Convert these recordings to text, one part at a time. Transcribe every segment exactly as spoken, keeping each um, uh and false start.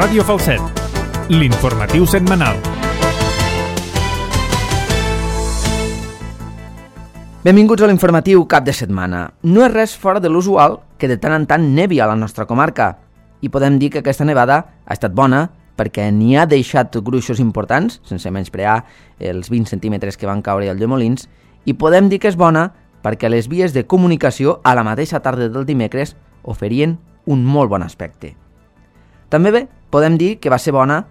Ràdio Falset, l'informatiu setmanal. Benvinguts a l'informatiu cap de setmana. No és res fora de l'usual que de tant en tant nevi a la nostra comarca. I podem dir que aquesta nevada ha estat bona perquè n'hi ha deixat gruixos importants, sense menysprear els vint centímetres que van caure al de Molins, i podem dir que és bona perquè les vies de comunicació a la mateixa tarda del dimecres oferien un molt bon aspecte. També bé, podem dir que va ser bona,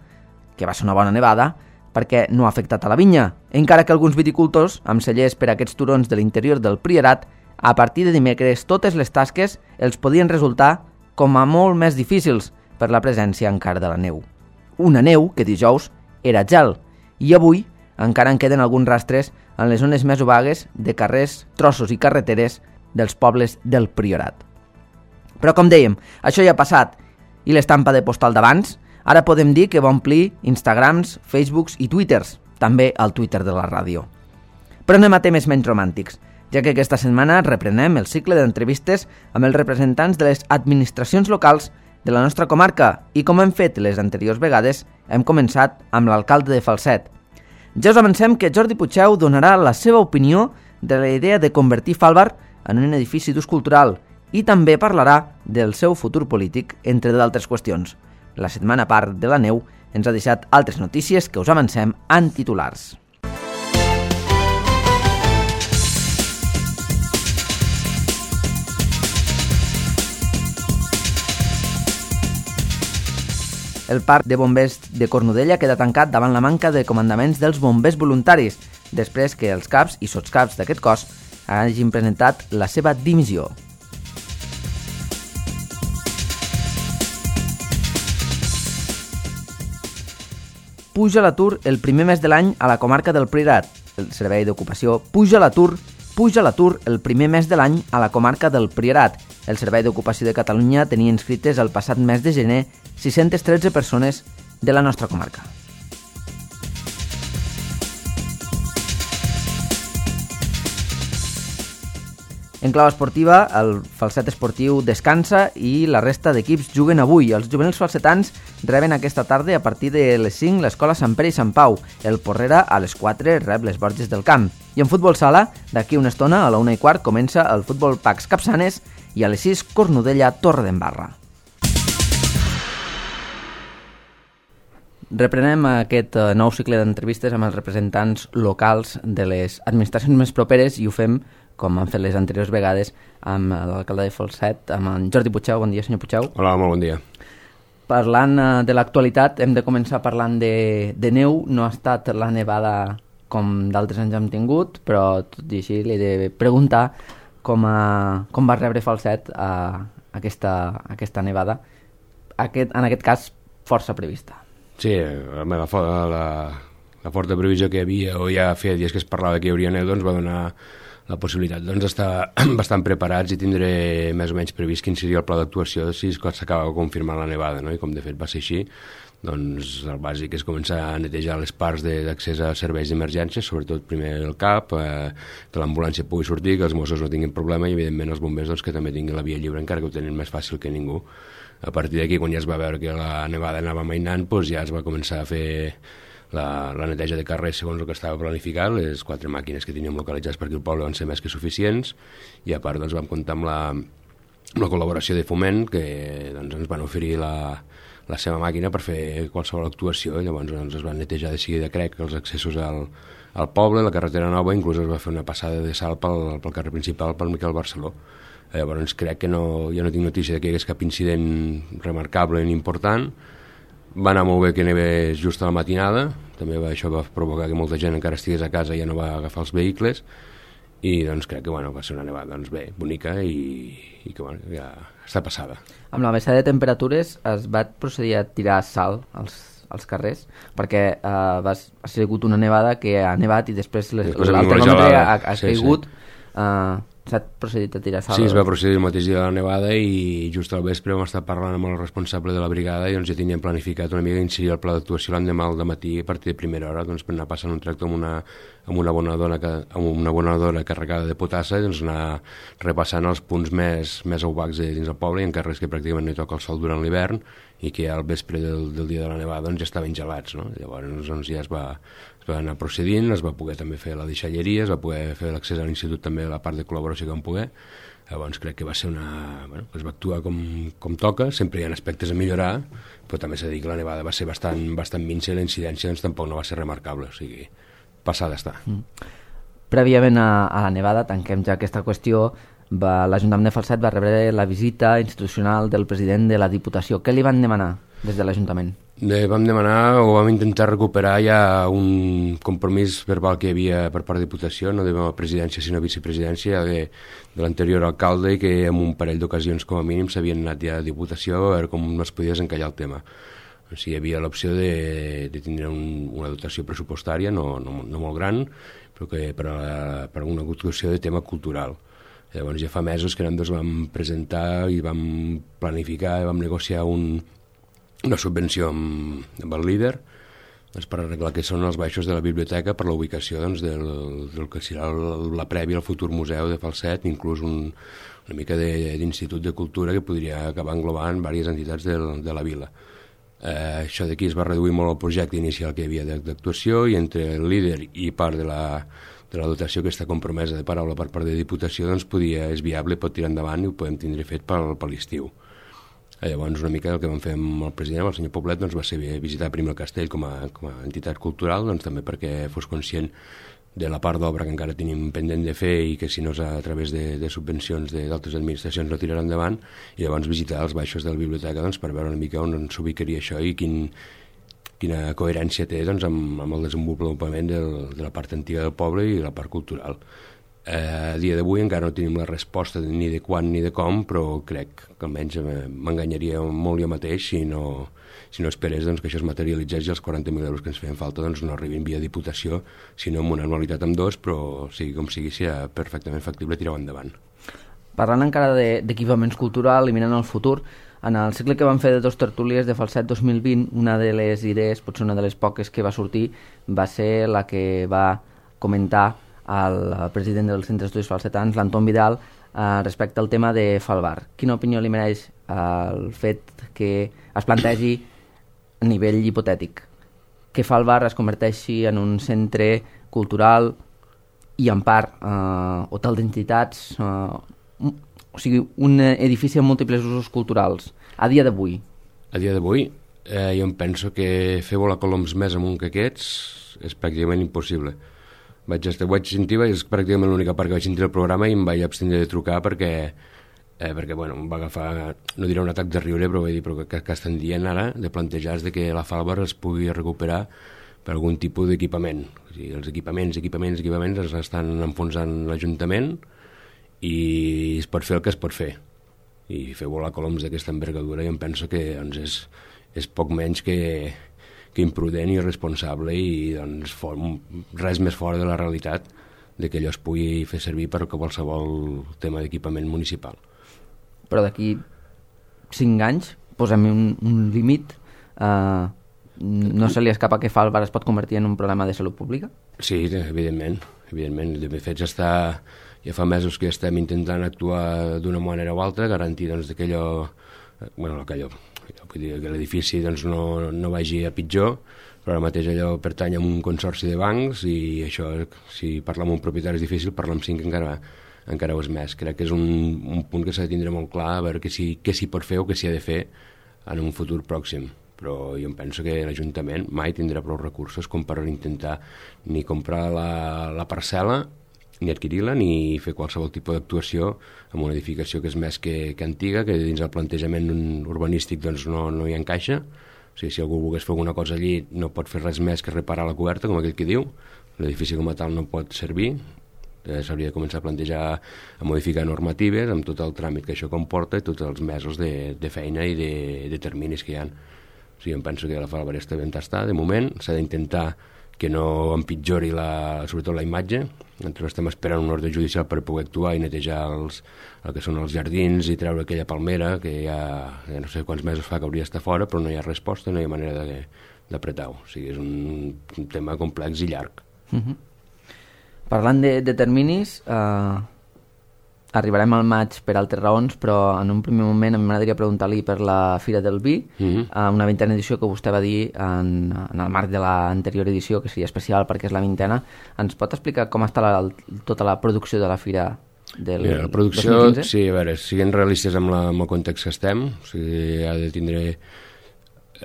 que va ser una bona nevada, perquè no ha afectat a la vinya, encara que alguns viticultors, amb cellers per a aquests turons de l'interior del Priorat, a partir de dimecres totes les tasques els podien resultar com a molt més difícils per la presència encara de la neu. Una neu que dijous era gel, i avui encara en queden alguns rastres en les zones més obagues de carrers, trossos i carreteres dels pobles del Priorat. Però com dèiem, això ja ha passat, i l'estampa de postal d'abans, ara podem dir que va omplir Instagrams, Facebooks i Twitters, també al Twitter de la ràdio. Però anem a temes menys romàntics, ja que aquesta setmana reprenem el cicle d'entrevistes amb els representants de les administracions locals de la nostra comarca i, com hem fet les anteriors vegades, hem començat amb l'alcalde de Falset. Ja us avancem que Jordi Puigdeu donarà la seva opinió de la idea de convertir Falbar en un edifici d'ús cultural i també parlarà del seu futur polític, entre d'altres qüestions. La setmana part de la neu ens ha deixat altres notícies que us avancem en titulars. El parc de bombers de Cornudella queda tancat davant la manca de comandaments dels bombers voluntaris, després que els caps i sotscaps d'aquest cos hagin presentat la seva dimissió. Puja l'atur el primer mes de l'any a la comarca del Priorat. El Servei d'Ocupació puja l'atur, puja l'atur el primer mes de l'any a la comarca del Priorat. El Servei d'Ocupació de Catalunya tenia inscrites el passat mes de gener sis-centes tretze persones de la nostra comarca. En clau esportiva, el Falset Esportiu descansa i la resta d'equips juguen avui. Els juvenils falsetans reben aquesta tarda a partir de les cinc l'Escola Sant Pere i Sant Pau. El Porrera a les quatre rep les Borges del Camp. I en futbol sala, d'aquí una estona, a la una i quart, comença el futbol Pacs Capçanes i a les sis Cornudella Torredembarra. Reprenem aquest nou cicle d'entrevistes amb els representants locals de les administracions més properes i ho fem, com han fet les anteriors vegades, amb l'alcalde de Falset, amb en Jordi Puigdeu. Bon dia, senyor Puigdeu. Hola, molt bon dia. Parlant de l'actualitat, hem de començar parlant de, de neu. No ha estat la nevada com d'altres anys hem tingut, però tot i així li he de preguntar com, a, com va rebre Falset a aquesta, aquesta nevada, aquest, en aquest cas força prevista. Sí, la, la, la, la forta previsió que hi havia, o ja feia dies que es parlava que hi hauria neu, doncs va donar la possibilitat doncs, d'estar bastant preparats i tindré més o menys previst quin seria el pla d'actuació si s'acaba confirmant la nevada, no? I com de fet va ser així, doncs el bàsic és començar a netejar les parts d'accés a serveis d'emergència, sobretot primer el CAP, eh, que l'ambulància pugui sortir, que els Mossos no tinguin problema i evidentment els bombers doncs, que també tinguin la via lliure, encara que ho tenen més fàcil que ningú. A partir d'aquí, quan ja es va veure que la nevada anava mainant, doncs ja es va començar a fer La, la neteja de carrers segons el que estava planificat. Les quatre màquines que teníem localitzades per aquí al poble van ser més que suficients i a part doncs, vam comptar amb la, amb la col·laboració de Foment que doncs, ens van oferir la, la seva màquina per fer qualsevol actuació i llavors doncs, es van netejar de seguida, crec, els accessos al, al poble, la carretera nova, inclús es va fer una passada de salt pel, pel carrer principal pel Miquel Barceló. Llavors crec que no, jo no tinc notícia de que hi hagués cap incident remarcable ni important. Va anar molt bé que nevés just a la matinada, també va, això va provocar que molta gent encara estigués a casa i ja no va agafar els vehicles i doncs crec que bueno, va ser una nevada doncs, bé, bonica i, i que bueno, ja està passada. Amb la baixada de temperatures es va procedir a tirar sal als, als carrers perquè eh, va, ha sigut una nevada que ha nevat i després, les, després el termòmetre ha, ha sí, caigut sí. eh, s'ha procedit a tirar sal. Sí, es va procedir el mateix dia de la nevada i just al vespre vam estar parlant amb el responsable de la brigada i doncs ja teníem planificat una mica incidir el pla d'actuació l'endemà al dematí a partir de primera hora doncs per anar passant un tracte amb una, amb una abonadora, amb una abonadora carregada de potassa i doncs anar repassant els punts més, més opacs dins del poble i en carrers que pràcticament no hi toca el sol durant l'hivern i que al vespre del, del dia de la nevada doncs, ja estaven gelats, no? Llavors doncs, ja es va, es va anar procedint, es va poder també fer la deixalleria, es va poder fer l'accés a l'institut també a la part de col·laboració que vam poder. Llavors crec que va ser una... Bueno, es va actuar com, com toca, sempre hi ha aspectes a millorar, però també s'ha de dir que la nevada va ser bastant, bastant minsa i la incidència doncs, tampoc no va ser remarcable, o sigui, passada està. Mm. Prèviament a, a la nevada, tanquem ja aquesta qüestió, va, l'Ajuntament de Falset va rebre la visita institucional del president de la Diputació. Què li van demanar des de l'Ajuntament? De, vam demanar o vam intentar recuperar ja un compromís verbal que hi havia per part de Diputació, no de la presidència sinó vicepresidència de, de l'anterior alcalde, i que en un parell d'ocasions com a mínim s'havien anat ja a Diputació a veure com no es podia desencallar el tema. O sigui, hi havia l'opció de, de tindre un, una dotació pressupostària, no, no, no molt gran, però que per, a, per a una actuació de tema cultural. Llavors ja fa mesos que nosaltres vam presentar i vam planificar i vam negociar un, una subvenció amb, amb el líder doncs, per arreglar que són els baixos de la biblioteca per la ubicació doncs, del, del que serà el, la prèvia al futur museu de Falset, inclús un, una mica d'institut de, de cultura que podria acabar englobant diverses entitats de, de la vila. Eh, això d'aquí es va reduir molt el projecte inicial que hi havia d'actuació, i entre el líder i part de la de la dotació que està compromesa de paraula per part de Diputació, doncs podia, és viable, pot tirar endavant i ho podem tindre fet per, per l'estiu. Llavors una mica el que vam fer amb el president, el senyor Poblet, doncs va ser visitar primer el castell com a, com a entitat cultural, doncs també perquè fos conscient de la part d'obra que encara tenim pendent de fer i que si no és a través de, de subvencions d'altres administracions no tirarà endavant, i llavors visitar els baixos de la biblioteca doncs, per veure una mica on s'ubicaria això i quin quina coherència té doncs, amb, amb el desenvolupament del, de la part antiga del poble i la part cultural. Eh, a dia d'avui encara no tenim la resposta ni de quan ni de com, però crec que almenys m'enganyaria molt jo mateix si no, si no esperés doncs, que això es materialitzés i els quaranta mil euros que ens feien falta doncs, no arribin via Diputació, sinó amb una anualitat amb dos, però sigui com sigui, serà perfectament factible tirar endavant. Parlant encara d'equipaments de, culturals i mirant al futur, en el cicle que van fer de dos tertúlies de Falset dos mil vint, una de les idees, potser una de les poques que va sortir, va ser la que va comentar el president del Centre d'Estudis Falsetans, l'Anton Vidal, eh, respecte al tema de Falbar. Quina opinió li mereix el fet que es plantegi a nivell hipotètic que Falbar es converteixi en un centre cultural i en part eh, hotel d'entitats, eh, o sigui, un edifici amb múltiples usos culturals, a dia d'avui? A dia d'avui, eh, jo em penso que fer volar coloms més amunt que aquests és pràcticament impossible. Vaig, estar, vaig sentir, és pràcticament l'única part que vaig sentir el programa i em vaig abstenir de trucar perquè, eh, perquè bueno, em va agafar, no diré un atac de riure, però vaig dir, però que, que estan dient ara de plantejar de que la Falbar es pugui recuperar per algun tipus d'equipament. O sigui, els equipaments, equipaments, equipaments els estan enfonsant l'Ajuntament, i es pot fer el que es pot fer, i fer volar coloms d'aquesta envergadura i em penso que doncs, és, és poc menys que, que imprudent i irresponsable i doncs, for, res més fora de la realitat de que allò es pugui fer servir per qualsevol tema d'equipament municipal. Però d'aquí cinc anys posem un, un límit, eh, no se li escapa que Falbar es pot convertir en un problema de salut pública? Sí, evidentment, evidentment. De fet, està, ja fa mesos que estem intentant actuar d'una manera o altra, garantir doncs, que allò, bueno, que allò, vull dir, que l'edifici doncs, no, no vagi a pitjor, però ara mateix allò pertany a un consorci de bancs i això, si parla amb un propietari és difícil, parlar amb cinc encara, encara ho és més. Crec que és un, un punt que s'ha de tindre molt clar, a veure què s'hi si, pot fer o què s'hi ha de fer en un futur pròxim. Però jo em penso que l'Ajuntament mai tindrà prou recursos com per intentar ni comprar la, la parcel·la, ni adquirir-la, ni fer qualsevol tipus d'actuació en una edificació que és més que, que antiga, que dins el plantejament urbanístic doncs, no, no hi encaixa. O sigui, si algú volgués fer alguna cosa allí no pot fer res més que reparar la coberta, com aquell que diu. L'edifici com a tal no pot servir. Eh, s'hauria de començar a plantejar a modificar normatives amb tot el tràmit que això comporta i tots els mesos de, de feina i de, de terminis que hi ha. O sigui, em penso que la Falbar està ben tastada, de moment. S'ha d'intentar que no empitjori la, sobretot la imatge. Nosaltres estem esperant un ordre judicial per poder actuar i netejar els, el que són els jardins i treure aquella palmera que ja, ja no sé quants mesos fa que hauria d'estar fora, però no hi ha resposta, no hi ha manera d'apretar-ho. O sigui, és un, un tema complex i llarg. Uh-huh. Parlant de, de terminis, eh, arribarem al maig per altres raons, però en un primer moment a mi m'agradaria preguntar-li per la Fira del Vi, mm-hmm. una vintena edició que vostè va dir en, en el marc de l'anterior edició, que seria especial perquè és la vintena. Ens pot explicar com està la, tota la producció de la Fira del Mira, la producció, dos mil quinze? Sí, a veure, siguem realistes amb, la, amb el context que estem, o sigui, ha de tindre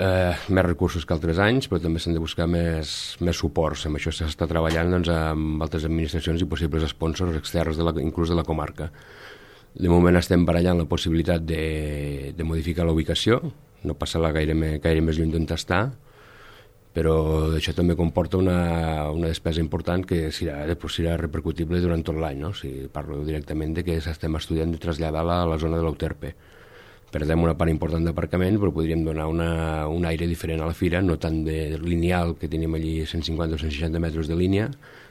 eh, més recursos que altres anys, però també s'han de buscar més, més suports. Amb això s'està treballant doncs, amb altres administracions i possibles sponsors externs, de la, inclús de la comarca. De moment estem barallant la possibilitat de, de modificar la ubicació, no passar-la gaire, gaire més lluny d'on està, però això també comporta una, una despesa important que serà, serà repercutible durant tot l'any, no? O sigui, parlo directament de que estem estudiant de traslladar-la a la zona de l'Euterpe. Perdem una part important d'aparcament, però podríem donar una, un aire diferent a la fira, no tant de lineal, que tenim allí cent cinquanta o cent seixanta metres de línia,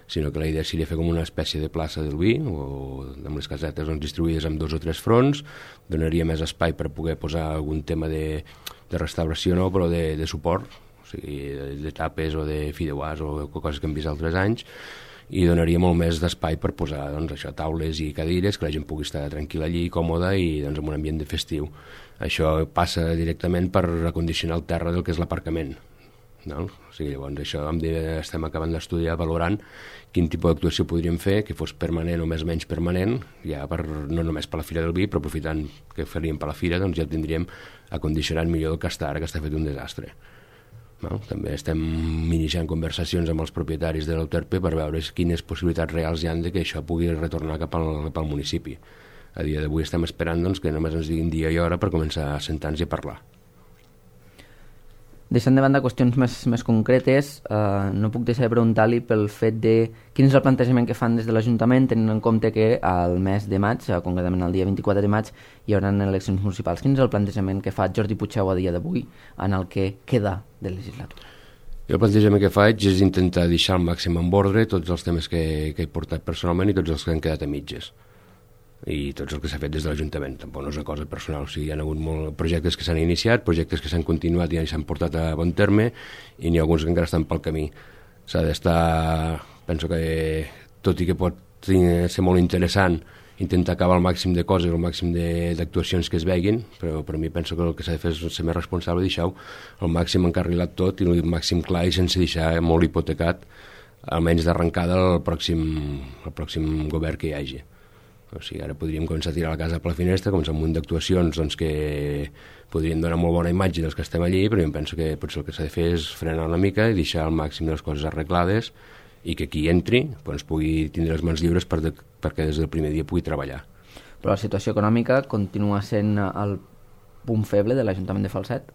sinó que la idea seria fer com una espècie de plaça del vi, o amb les casetes doncs, distribuïdes en dos o tres fronts, donaria més espai per poder posar algun tema de, de restauració, no, però de, de suport, o sigui, de, de tapes o de fideuàs o coses que hem vist altres anys, i donaria molt més d'espai per posar doncs, això, taules i cadires, que la gent pugui estar tranquil·la allí, còmoda i doncs, en un ambient de festiu. Això passa directament per recondicionar el terra del que és l'aparcament. No? O sigui, llavors això estem acabant d'estudiar, valorant quin tipus d'actuació podríem fer, que fos permanent o més o menys permanent, ja per, no només per la Fira del Vi, però aprofitant que faríem per la Fira, doncs ja el tindríem acondicionat millor del que està ara, que està fet un desastre. No? També estem iniciant conversacions amb els propietaris de l'Euterpe per veure quines possibilitats reals hi ha de que això pugui retornar cap al, cap al municipi. A dia d'avui estem esperant doncs, que només ens diguin dia i hora per començar a sentar-nos i a parlar. Deixant de banda qüestions més, més concretes, eh, no puc deixar de preguntar-li pel fet de quin és el plantejament que fan des de l'Ajuntament, tenint en compte que al mes de maig, eh, concretament el dia vint-i-quatre de maig, hi haurà eleccions municipals. Quin és el plantejament que fa Jordi Puigdeu a dia d'avui en el que queda de legislatura? Jo el plantejament que faig és intentar deixar al màxim en ordre tots els temes que, que he portat personalment i tots els que han quedat a mitges. I tots el que s'ha fet des de l'Ajuntament, tampoc no és una cosa personal, o sigui, hi ha hagut molts projectes que s'han iniciat, projectes que s'han continuat i s'han portat a bon terme, i n'hi ha alguns que encara estan pel camí. S'ha d'estar, penso que tot i que pot ser molt interessant intentar acabar el màxim de coses, el màxim d'actuacions que es veguin, però per mi penso que el que s'ha de fer és ser més responsable i deixar-ho el màxim encarrilat tot i el màxim clar i sense deixar molt hipotecat, almenys d'arrencada el pròxim, el pròxim govern que hi hagi. O sigui, ara podríem començar a tirar la casa per la finestra, començar un munt d'actuacions doncs, que podrien donar molt bona imatge dels que estem allí, però jo penso que potser el que s'ha de fer és frenar una mica i deixar al màxim de les coses arreglades i que qui entri doncs, pugui tindre les mans lliures per de, perquè des del primer dia pugui treballar. Però la situació econòmica continua sent el punt feble de l'Ajuntament de Falset?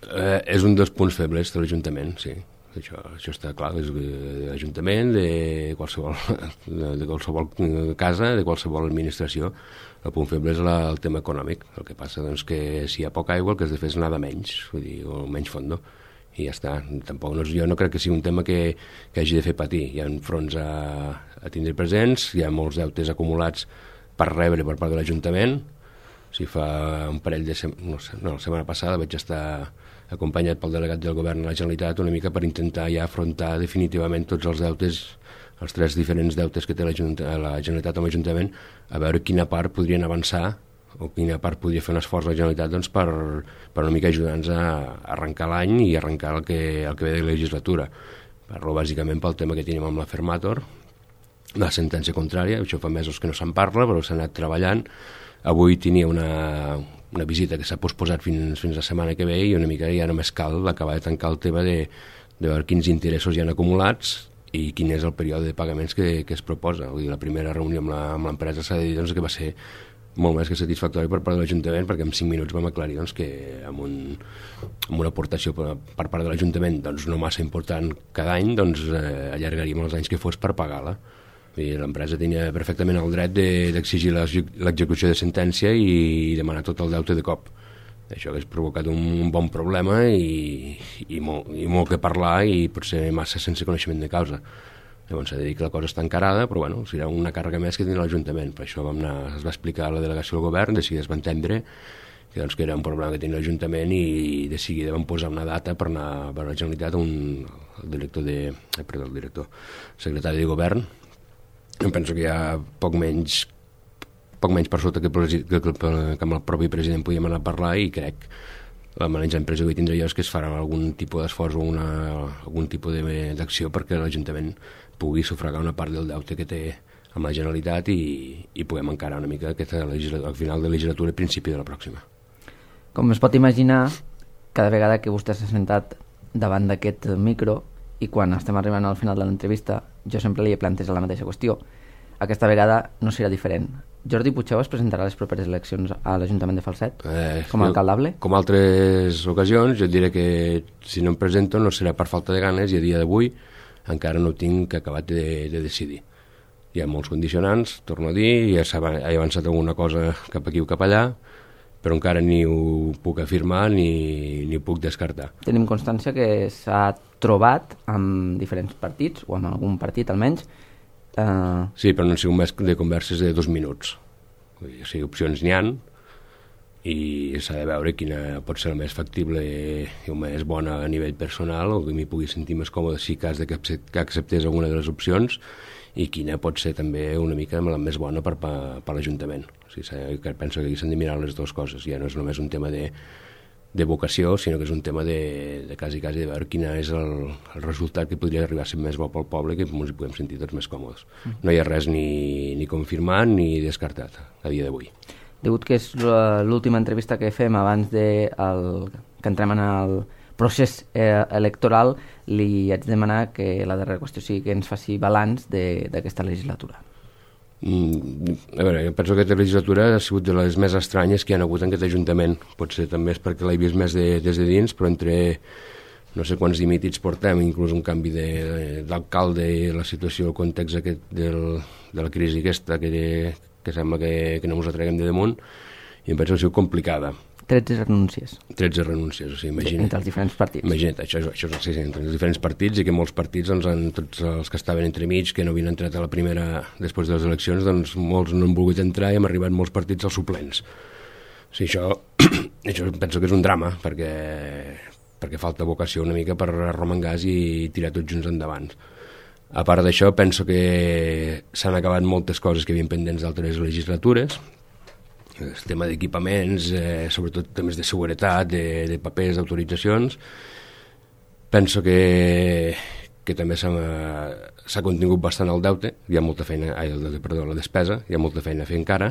Eh, és un dels punts febles de l'Ajuntament, sí. Això, això està clar, és de l'Ajuntament, de qualsevol, de qualsevol casa, de qualsevol administració. El punt feble és la, el tema econòmic. El que passa doncs, que si hi ha poca aigua el que has de fer és anar de menys, vull dir, o menys fondo, i ja està. Tampoc, no, jo no crec que sigui un tema que, que hagi de fer patir. Hi ha fronts a, a tindre presents, hi ha molts deutes acumulats per rebre per part de l'Ajuntament. Si fa un parell de setmanes, no sé, no, la setmana passada vaig estar acompanyat pel delegat del govern de la Generalitat una mica per intentar ja afrontar definitivament tots els deutes, els tres diferents deutes que té la, la Generalitat amb l'Ajuntament, a veure quina part podrien avançar o quina part podria fer un esforç la Generalitat doncs, per, per una mica ajudar-nos a arrencar l'any i arrencar el que, el que ve de la legislatura. Parlo bàsicament pel tema que tenim amb la Fermator, la sentència contrària, això fa mesos que no se'n parla, però s'ha anat treballant. Avui tenia una, una visita que s'ha posposat fins, fins la setmana que ve i una mica ja només cal acabar de tancar el tema de, de veure quins interessos hi han acumulats i quin és el període de pagaments que, que es proposa. Vull dir, la primera reunió amb l'empresa s'ha de dir doncs, que va ser molt més que satisfactori per part de l'Ajuntament, perquè en cinc minuts vam aclarir doncs, que amb, un, amb una aportació per, per part de l'Ajuntament doncs, no massa important cada any, doncs, eh, allargaríem els anys que fos per pagar-la. L'empresa tenia perfectament el dret d'exigir l'execució de sentència i demanar tot el deute de cop. Això hauria provocat un bon problema i, i, molt, i molt que parlar i potser massa sense coneixement de causa. Llavors s'ha de dir que la cosa està encarada, però bueno, serà una càrrega més que tindrà l'Ajuntament. Per això vam anar, es va explicar a la delegació del govern, de seguida es va entendre que, doncs, que era un problema que tenia l'Ajuntament i de seguida vam posar una data per anar a veure la Generalitat, un, el director de, eh, perdó, el director secretari de govern. Em penso que hi ha poc menys poc menys per sota que, que, que, que amb el propi president podíem anar a parlar, i crec la manera empresa que tindré jo és que es farà algun tipus d'esforç o una, algun tipus d'acció perquè l'Ajuntament pugui sufragar una part del deute que té amb la Generalitat i, i puguem encarar una mica aquesta al final de la legislatura i principi de la pròxima. Com es pot imaginar, cada vegada que vostè s'ha sentat davant d'aquest micro i quan estem arribant al final de l'entrevista, jo sempre li he plantejat la mateixa qüestió. Aquesta vegada no serà diferent. Jordi Puigdemont es presentarà a les properes eleccions a l'Ajuntament de Falset eh, com a alcaldable? Com altres ocasions, jo et diré que si no em presento no serà per falta de ganes, i a dia d'avui encara no ho tinc acabat de, de decidir. Hi ha molts condicionants, torno a dir, ja he avançat alguna cosa cap aquí o cap allà, però encara ni ho puc afirmar ni, ni ho puc descartar. Tenim constància que s'ha trobat amb diferents partits, o amb algun partit almenys. Uh... Sí, però no han sigut més de converses de dos minuts. O sigui, opcions n'hi ha, i s'ha de veure quina pot ser la més factible i la més bona a nivell personal, o que m'hi pugui sentir més còmode si cas de que acceptés alguna de les opcions, i quina pot ser també una mica la més bona per, per, per l'Ajuntament. O sigui, penso que aquí s'han de mirar les dues coses. Ja no és només un tema de, de vocació, sinó que és un tema de, de quasi, quasi de veure quin és el, el resultat que podria arribar a ser més bo pel poble, que ens hi podem sentir tots més còmodes. No hi ha res ni, ni confirmat ni descartat a dia d'avui. Degut que és l'última entrevista que fem abans de el, que entrem en el procés eh, electoral, li haig de demanar que la darrera qüestió sigui que ens faci balanç d'aquesta legislatura. Mm, a veure, jo penso que aquesta legislatura ha sigut de les més estranyes que hi ha hagut en aquest Ajuntament. Potser també és perquè l'he vist més de, des de dins, però entre no sé quants dimitits portem, inclús un canvi d'alcalde i la situació, el context aquest del, de la crisi aquesta que, que sembla que, que no ens atreguem de damunt, i em penso que ha sigut complicada. tretze renúncies. tretze renúncies, o sigui, imagina't. Entre els diferents partits. Imagina't, això, això és sí, entre els diferents partits, i que molts partits, doncs, en, tots els que estaven entremig, que no havien entrat a la primera després de les eleccions, doncs molts no han volgut entrar i hem arribat molts partits als suplents. O sigui, això, això penso que és un drama, perquè, perquè falta vocació una mica per arromangars i tirar tots junts endavant. A part d'això, penso que s'han acabat moltes coses que havien pendents d'altres legislatures, el tema d'equipaments, eh, sobretot temes de seguretat, de, de papers, d'autoritzacions. Penso que, que també s'ha contingut bastant el deute, hi ha molta feina, ai, el deute, perdó, la despesa, hi ha molta feina a fer encara,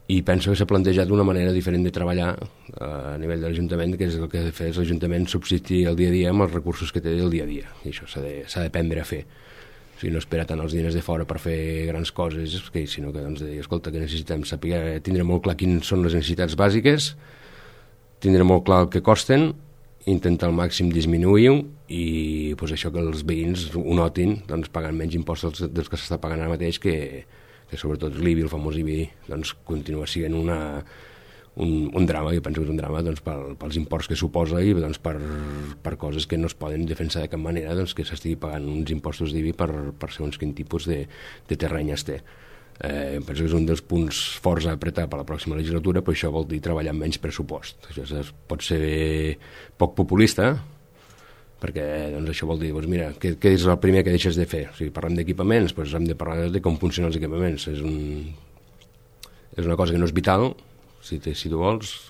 i penso que s'ha plantejat una manera diferent de treballar eh, a nivell de l'Ajuntament, que és el que ha de fer l'Ajuntament subsistir el dia a dia amb els recursos que té del dia a dia, i això s'ha d'aprendre a fer. O sigui, no espera tant els diners de fora per fer grans coses, sinó que, doncs, de dir, escolta, que necessitem saber, tindre molt clar quines són les necessitats bàsiques, tindre molt clar el que costen, intentar al màxim disminuir-ho, i pues, això que els veïns ho notin, doncs, pagant menys impostos dels que s'està pagant ara mateix, que, que sobretot l'I B I, el famós I B I, doncs, continua sent una, un, un drama, jo penso que és un drama, doncs, pel, pels imports que suposa, i doncs, per, per coses que no es poden defensar de cap manera, doncs, que s'estigui pagant uns impostos d'I B I per, per segons quin tipus de, de terreny es té. Eh, penso que és un dels punts forts a apretar per la pròxima legislatura, però això vol dir treballar amb menys pressupost. Això és, pot ser poc populista, perquè doncs, això vol dir, doncs, mira, què, què és el primer que deixes de fer? O sigui, parlem d'equipaments, doncs hem de parlar de com funcionen els equipaments. És, un, és una cosa que no és vital, si, te, si tu vols,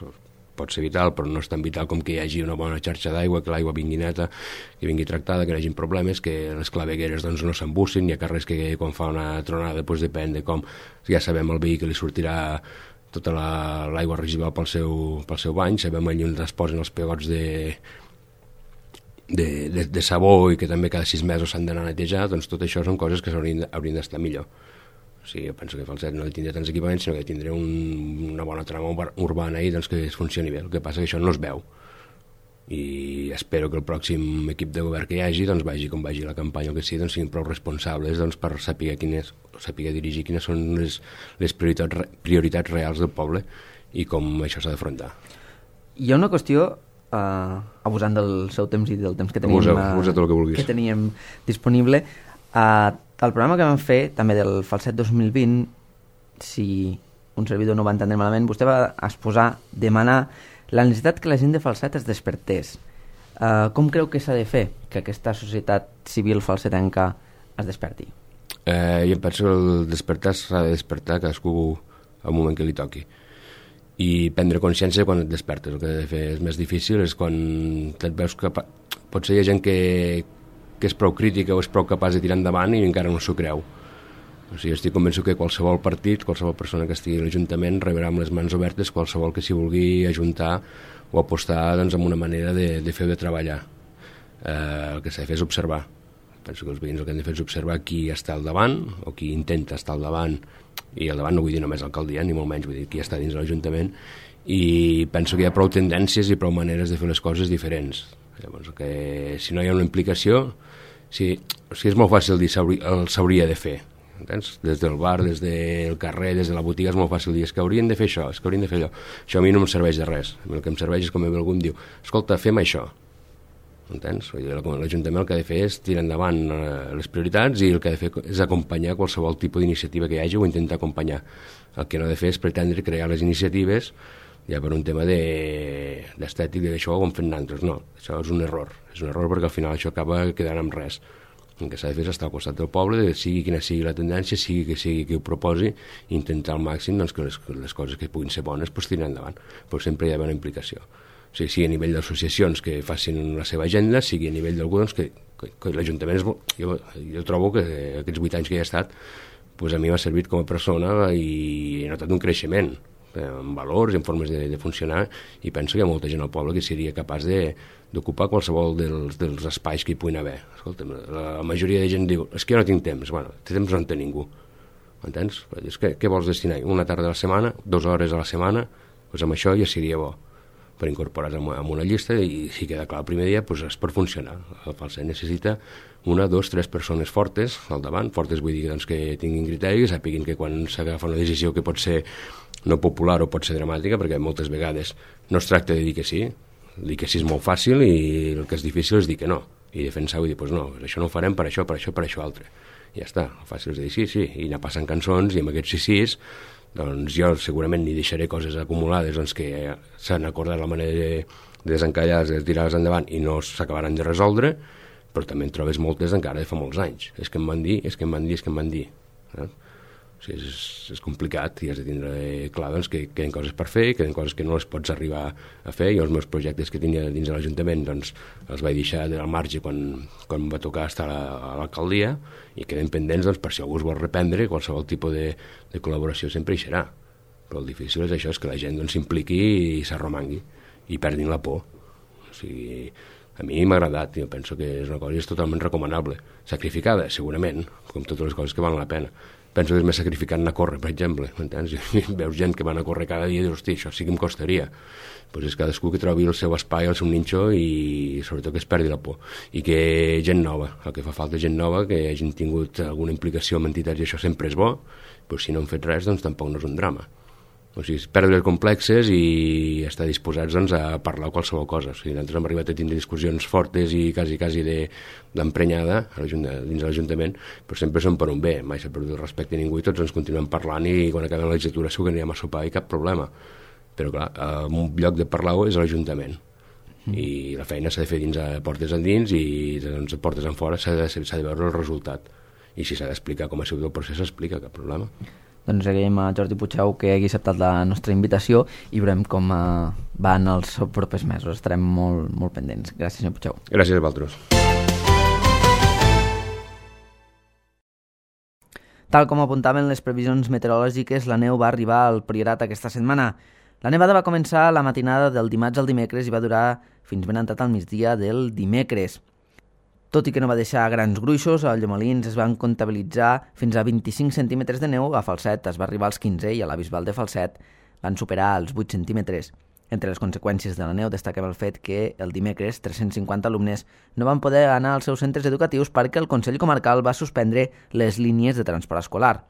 pot ser vital, però no és tan vital com que hi hagi una bona xarxa d'aigua, que l'aigua vingui neta, que vingui tractada, que no hi hagi problemes, que les clavegueres doncs, no s'embussin, hi ha carrers que quan fa una tronada doncs depèn de com, ja sabem el veí que li sortirà tota l'aigua la, residual pel seu, pel seu bany, sabem allà on es posen els pegots de, de, de, de sabó i que també cada sis mesos s'han d'anar a netejar, doncs tot això són coses que haurien d'estar millor. O sigui, jo penso que Falset no tindrà tants equipaments, sinó que tindrà un, una bona trama urbana i doncs, que es funcioni bé. El que passa que això no es veu. I espero que el pròxim equip de govern que hi hagi, doncs vagi com vagi la campanya o que sigui, doncs siguin prou responsables doncs, per saber, quines, saber dirigir quines són les, les prioritats, prioritats reals del poble i com això s'ha d'afrontar. Hi ha una qüestió, eh, abusant del seu temps i del temps que teníem, abusa, abusa tot el que vulguis. que teníem disponible, eh, el programa que vam fer, també del Falset dos mil vint, si un servidor no va entendre malament, vostè va exposar, demanar la necessitat que la gent de Falset es despertés. Uh, com creu que s'ha de fer que aquesta societat civil falsetenca es desperti? Eh, jo penso que el despertar s'ha de despertar cadascú al moment que li toqui. I prendre consciència quan et despertes. El que he de fer és més difícil és quan et veus que potser hi ha gent que, que és prou crítica o és prou capaç de tirar endavant i encara no s'ho creu. O sigui, estic convençut que qualsevol partit, qualsevol persona que estigui a l'Ajuntament rebrà amb les mans obertes qualsevol que s'hi vulgui ajuntar o apostar doncs, amb una manera de, de fer o de treballar. Eh, el que s'ha de fer és observar. Penso que els veïns el que han de fer és observar qui està al davant o qui intenta estar al davant, i al davant no vull dir només l'alcaldia, ni molt menys, vull dir qui està dins de l'Ajuntament, i penso que hi ha prou tendències i prou maneres de fer les coses diferents. Llavors, que si no hi ha una implicació, si, o sigui, és molt fàcil dir el s'hauria de fer. Entens? Des del bar, des del carrer, des de la botiga és molt fàcil dir és que haurien de fer això, és que haurien de fer allò. Això a mi no em serveix de res. A mi el que em serveix és com algú em diu, escolta, fem això. Entens? L'Ajuntament el que ha de fer és tirar endavant les prioritats i el que ha de fer és acompanyar qualsevol tipus d'iniciativa que hi hagi o intentar acompanyar. El que no ha de fer és pretendre crear les iniciatives ja per un tema d'estètic, de d'això ho hem fet nosaltres. No, això és un error. És un error perquè al final això acaba quedant amb res. El que s'ha de fer és estar al costat del poble, sigui quina sigui la tendència, sigui que sigui qui ho proposi, i intentar al màxim doncs, que les, les coses que puguin ser bones pues, tirar endavant. Però sempre hi ha una implicació. O sigui, sigui a nivell d'associacions que facin la seva agenda, sigui a nivell d'algú doncs, que, que, que l'Ajuntament és... Jo, jo trobo que aquests vuit anys que hi he estat doncs a mi m'ha servit com a persona i he notat un creixement en valors i en formes de, de funcionar, i penso que hi ha molta gent al poble que seria capaç d'ocupar qualsevol dels, dels espais que hi puguin haver. Escolta, la, la majoria de gent diu és que jo no tinc temps. Bueno, té temps no en té ningú. Entens? És que, què vols destinar? Una tarda a la setmana, dues hores a la setmana, doncs amb això ja seria bo per incorporar-se en una llista, i si queda clar el primer dia, doncs és per funcionar. El Falset necessita una, dos, tres persones fortes al davant. Fortes vull dir doncs, que tinguin criteri, que sàpiguin que quan s'agafa una decisió que pot ser no popular o pot ser dramàtica, perquè moltes vegades no es tracta de dir que sí, dir que sí és molt fàcil i el que és difícil és dir que no, i defensar-ho i dir, doncs no, això no ho farem per això, per això, per això altre. I ja està, el fàcil és dir sí, sí, i anar passant cançons, i amb aquests sí sís doncs jo segurament ni deixaré coses acumulades doncs, que s'han acordat la manera de, de desencallar-les, de tirar-les endavant i no s'acabaran de resoldre, però també en trobes moltes encara de fa molts anys. És que em van dir, és que em van dir, és que em van dir. Eh? O sigui, és, és complicat i has de tindre clar doncs, que queden coses per fer, queden coses que no les pots arribar a fer. Jo els meus projectes que tenia dins de l'Ajuntament doncs, els vaig deixar al marge quan, quan va tocar estar a l'alcaldia, i queden pendents doncs, per si algú es vol reprendre, qualsevol tipus de, de col·laboració sempre hi serà. Però el difícil és això, és que la gent doncs, s'impliqui i s'arromangui i perdin la por. O sigui, a mi m'ha agradat, jo penso que és una cosa que és totalment recomanable. Sacrificada, segurament, com totes les coses que valen la pena. Penso que és més sacrificat anar a córrer, per exemple, m'entens? Veus gent que van a córrer cada dia i dius, hosti, això sí que em costaria. Pues és cadascú que trobi el seu espai, el seu ninxo, i sobretot que es perdi la por. I que gent nova, el que fa falta és gent nova, que hagin tingut alguna implicació amb entitats, i això sempre és bo, però si no han fet res, doncs tampoc no és un drama. O sigui, perdre els complexes i estar disposats doncs, a parlar qualsevol cosa. O sigui, nosaltres hem arribat a tindre discussions fortes i quasi, quasi d'emprenyada dins de l'Ajuntament, però sempre som per un bé, mai s'ha perdut el respecte a ningú i tots ens continuem parlant, i quan acabem la legislatura segur que anirem a sopar i cap problema. Però clar, un lloc de parlar-ho és l'Ajuntament. Mm. I la feina s'ha de fer dins a portes endins, i doncs, a portes en fora s'ha de, s'ha de veure el resultat. I si s'ha d'explicar com ha sigut el procés, s'explica, cap problema. Doncs agraïm a Jordi Puigdeu que hagi acceptat la nostra invitació i veurem com uh, van els propers mesos. Estarem molt, molt pendents. Gràcies, senyor Puigdeu. Gràcies a vosaltres. Tal com apuntaven les previsions meteorològiques, la neu va arribar al Priorat aquesta setmana. La nevada va començar la matinada del dimarts al dimecres i va durar fins ben entrat al migdia del dimecres. Tot i que no va deixar grans gruixos, a Llomolins es van comptabilitzar fins a vint-i-cinc centímetres de neu, a Falset es va arribar als quinze i a la Bisbal de Falset van superar els vuit centímetres. Entre les conseqüències de la neu destaquem el fet que el dimecres tres-cents cinquanta alumnes no van poder anar als seus centres educatius perquè el Consell Comarcal va suspendre les línies de transport escolar.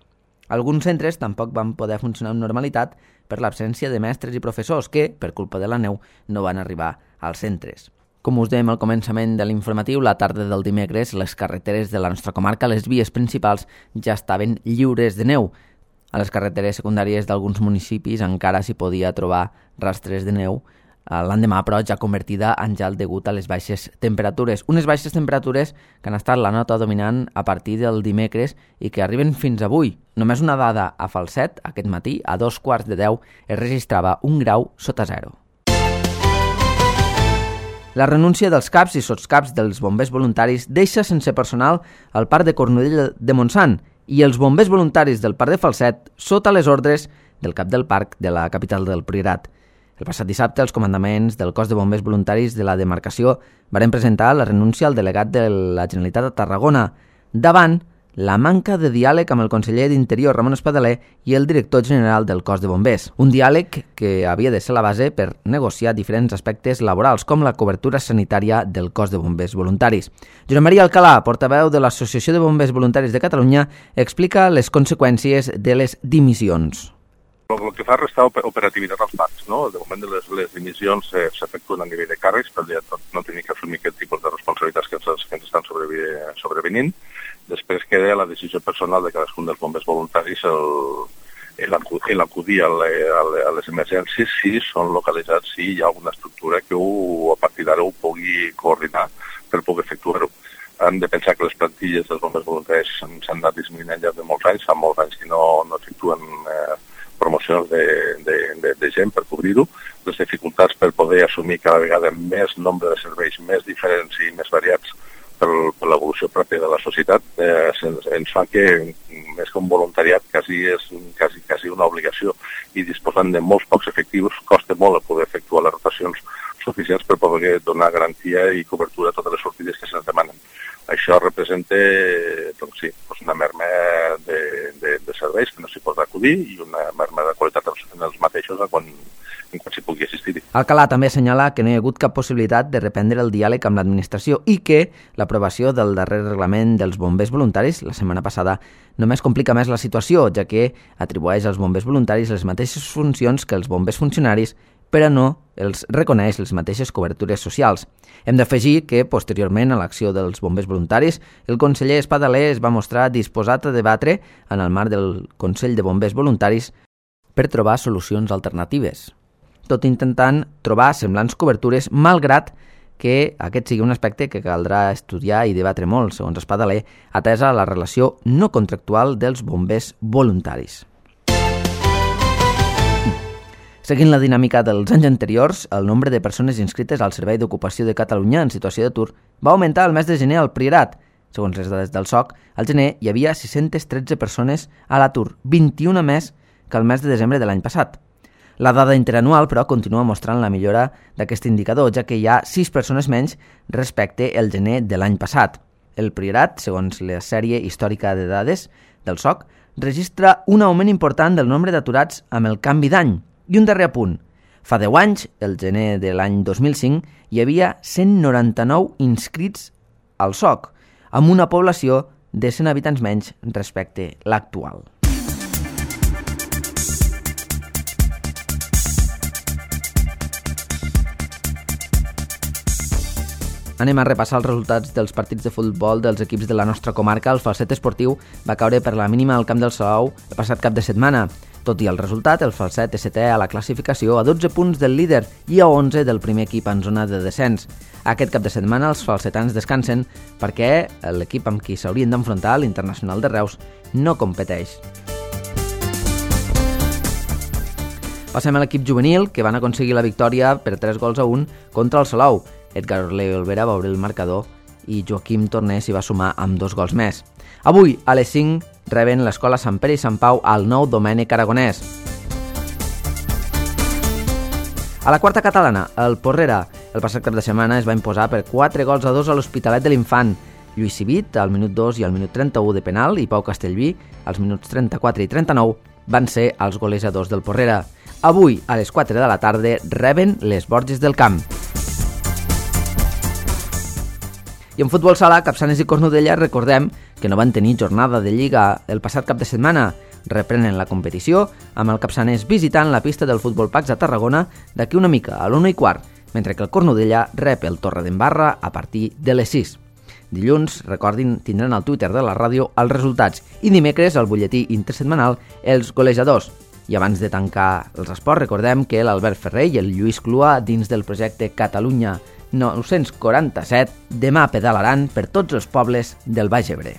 Alguns centres tampoc van poder funcionar amb normalitat per l'absència de mestres i professors que, per culpa de la neu, no van arribar als centres. Com us dèiem al començament de l'informatiu, la tarda del dimecres les carreteres de la nostra comarca, les vies principals, ja estaven lliures de neu. A les carreteres secundàries d'alguns municipis encara s'hi podia trobar rastres de neu l'endemà, però, ja convertida en gel degut a les baixes temperatures. Unes baixes temperatures que han estat la nota dominant a partir del dimecres i que arriben fins avui. Només una dada a Falset, aquest matí, a dos quarts de deu, es registrava un grau sota zero. La renúncia dels caps i sotscaps dels bombers voluntaris deixa sense personal el parc de Cornudella de Montsant i els bombers voluntaris del parc de Falset sota les ordres del cap del parc de la capital del Priorat. El passat dissabte, els comandaments del cos de bombers voluntaris de la demarcació varen presentar la renúncia al delegat de la Generalitat de Tarragona davant la manca de diàleg amb el conseller d'Interior, Ramon Espadaler, i el director general del cos de bombers. Un diàleg que havia de ser la base per negociar diferents aspectes laborals, com la cobertura sanitària del cos de bombers voluntaris. Josep Maria Alcalà, portaveu de l'Associació de Bombers Voluntaris de Catalunya, explica les conseqüències de les dimissions. El que fa restar operativitat als parcs, no? De moment de les, les dimissions eh, s'efectuen a nivell de càrrecs, per no, no tenir que assumir aquest tipus de responsabilitats que ens, que ens estan sobrevi, sobrevenint. Després queda la decisió personal de cadascun dels bombers voluntaris l'acudir a, a les emergències si són localitzats, si hi ha alguna estructura que ho, a partir d'ara ho pugui coordinar per poder efectuar-ho. Han de pensar que les plantilles dels bombers voluntaris s'han anat disminuint al llarg de molts anys, fa molts anys que no, no efectuen eh, promocions de, de, de, de gent per cobrir-ho, les dificultats per poder assumir cada vegada més nombre de serveis més diferents i més variats per, per l'evolució pròpia de la societat, eh, ens, ens fa que més que un voluntariat quasi és quasi, quasi una obligació i disposant de molts pocs efectius costa molt a poder efectuar les rotacions suficients per poder donar garantia i cobertura a totes les sortides que se'ns demanen. Això representa doncs sí, una merma de, de, de serveis que no s'hi pot acudir i una merma de qualitat en els mateixos quan, en quan s'hi pugui assistir. Alcalà també assenyala que no hi ha hagut cap possibilitat de reprendre el diàleg amb l'administració i que l'aprovació del darrer reglament dels bombers voluntaris la setmana passada només complica més la situació, ja que atribueix als bombers voluntaris les mateixes funcions que els bombers funcionaris, però no els reconeix les mateixes cobertures socials. Hem d'afegir que, posteriorment a l'acció dels bombers voluntaris, el conseller Espadaler es va mostrar disposat a debatre en el marc del Consell de Bombers Voluntaris per trobar solucions alternatives, tot intentant trobar semblants cobertures, malgrat que aquest sigui un aspecte que caldrà estudiar i debatre molt, segons Espadaler, atesa la relació no contractual dels bombers voluntaris. Seguint la dinàmica dels anys anteriors, el nombre de persones inscrites al Servei d'Ocupació de Catalunya en situació d'atur va augmentar el mes de gener al Priorat. Segons les dades del S O C, al gener hi havia sis-centes tretze persones a l'atur, vint-i-una més que el mes de desembre de l'any passat. La dada interanual, però, continua mostrant la millora d'aquest indicador, ja que hi ha sis persones menys respecte al gener de l'any passat. El Priorat, segons la sèrie històrica de dades del S O C, registra un augment important del nombre d'aturats amb el canvi d'any. I un darrer apunt. Fa deu anys, el gener de l'any dos mil cinc, hi havia cent noranta-nou inscrits al S O C, amb una població de cent habitants menys respecte l'actual. Anem a repassar els resultats dels partits de futbol dels equips de la nostra comarca. El Falset Esportiu va caure per la mínima al camp del Salou el passat cap de setmana. Tot i el resultat, el Falset és setè a la classificació a dotze punts del líder i a onze del primer equip en zona de descens. Aquest cap de setmana els falsetans descansen perquè l'equip amb qui s'haurien d'enfrontar, l'Internacional de Reus, no competeix. Passem a l'equip juvenil, que van aconseguir la victòria per tres gols a un contra el Salou. Edgar Orleo Olvera va obrir el marcador i Joaquim Torner s'hi va sumar amb dos gols més. Avui, a les cinc, reben l'Escola Sant Pere i Sant Pau al nou Domènec Aragonès. A la quarta catalana, el Porrera, el passat cap de setmana es va imposar per quatre gols a dos a l'Hospitalet de l'Infant. Lluís Civit, al minut dos i al minut trenta-u de penal, i Pau Castellví, als minuts trenta-quatre i trenta-nou, van ser els golejadors del Porrera. Avui, a les quatre de la tarda, reben les Borges del Camp. I en futbol sala, Capçanes i Cornudella, recordem que no van tenir jornada de Lliga el passat cap de setmana. Reprenen la competició amb el Capçanes visitant la pista del Futbol Pax a Tarragona d'aquí una mica, a l'una i quart, mentre que el Cornudella rep el Torredembarra a partir de les sis. Dilluns, recordin, tindran al Twitter de la ràdio els resultats i dimecres, al butlletí intersetmanal, els golejadors. I abans de tancar els esports, recordem que l'Albert Ferrer i el Lluís Clua, dins del projecte Catalunya nou-cents quaranta-set, demà pedalaran per tots els pobles del Baix Ebre.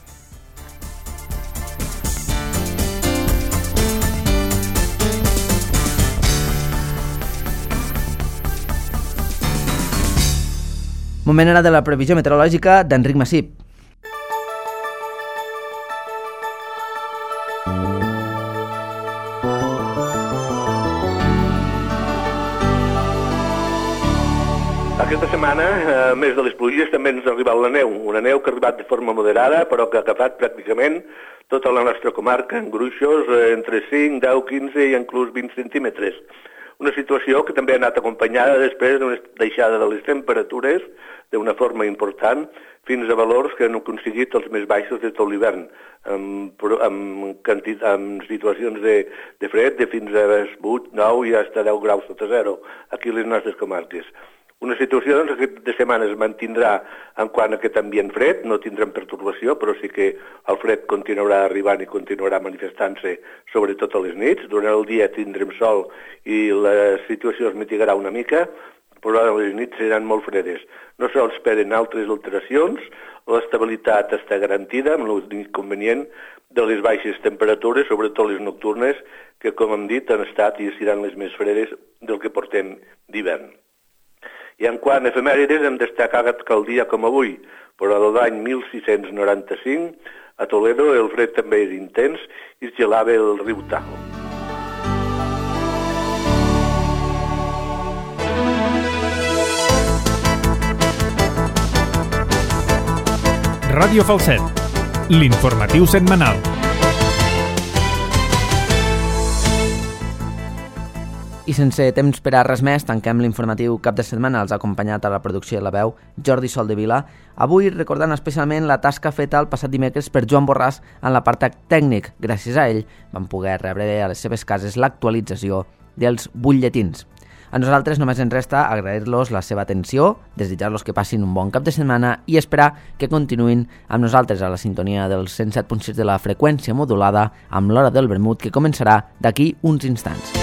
Moment ara de la previsió meteorològica d'Enric Massip. Aquesta setmana, a més de les pluges, també ens ha arribat la neu. Una neu que ha arribat de forma moderada, però que ha agafat pràcticament tota la nostra comarca, en gruixos entre cinc, deu, quinze i inclús vint centímetres. Una situació que també ha anat acompanyada després d'una deixada de les temperatures d'una forma important fins a valors que han aconseguit els més baixos de tot l'hivern, amb, amb, quantit, amb situacions de, de fred de fins a vuit, nou i fins a deu graus sota zero aquí a les nostres comarques. Una situació doncs, de setmana es mantindrà en quant a aquest ambient fred, no tindrem pertorbació, però sí que el fred continuarà arribant i continuarà manifestant-se sobretot a les nits. Durant el dia tindrem sol i la situació es mitigarà una mica, però les nits seran molt fredes. No s'esperen altres alteracions, l'estabilitat està garantida amb l'inconvenient de les baixes temperatures, sobretot les nocturnes, que com hem dit han estat i seran les més fredes del que portem d'hivern. I en quant a efemèrides hem destacat que el dia com avui, però l'any mil sis-cents noranta-cinc, a Toledo el fred també era intens i es gelava el riu Tajo. Ràdio Falset, l'informatiu setmanal. I sense temps per a res més, tanquem l'informatiu cap de setmana. Els ha acompanyat a la producció de la veu Jordi Soldevila. Avui recordant especialment la tasca feta el passat dimecres per Joan Borràs en l'apartat tècnic. Gràcies a ell van poder rebre a les seves cases l'actualització dels butlletins. A nosaltres només ens resta agrair-los la seva atenció, desitjar-los que passin un bon cap de setmana i esperar que continuïn amb nosaltres a la sintonia del cent set punt sis de la freqüència modulada amb l'hora del vermut que començarà d'aquí uns instants.